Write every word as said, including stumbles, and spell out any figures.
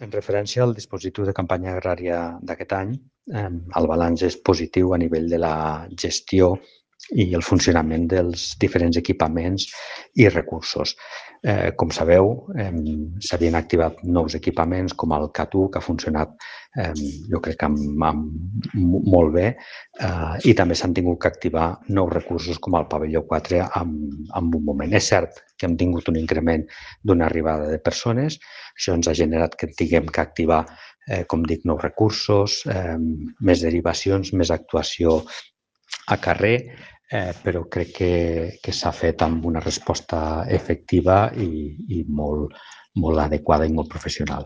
En referència al dispositiu de campanya agrària d'aquest any, eh, el balanç és positiu a nivell de la gestió i el funcionament dels diferents equipaments i recursos. Eh, com sabeu, eh, s'havien activat nous equipaments com el CAT u, que ha funcionat, eh, jo crec que amb, amb, molt bé, eh, i també s'han tingut que activar nous recursos com el pavelló quatre en, en un moment. És cert que hem tingut un increment d'una arribada de persones. Això ens ha generat que tinguem que activar, eh, com dic, nous recursos, eh, més derivacions, més actuació a carrer, eh, però crec que, que s'ha fet amb una resposta efectiva i, i molt, molt adequada i molt professional.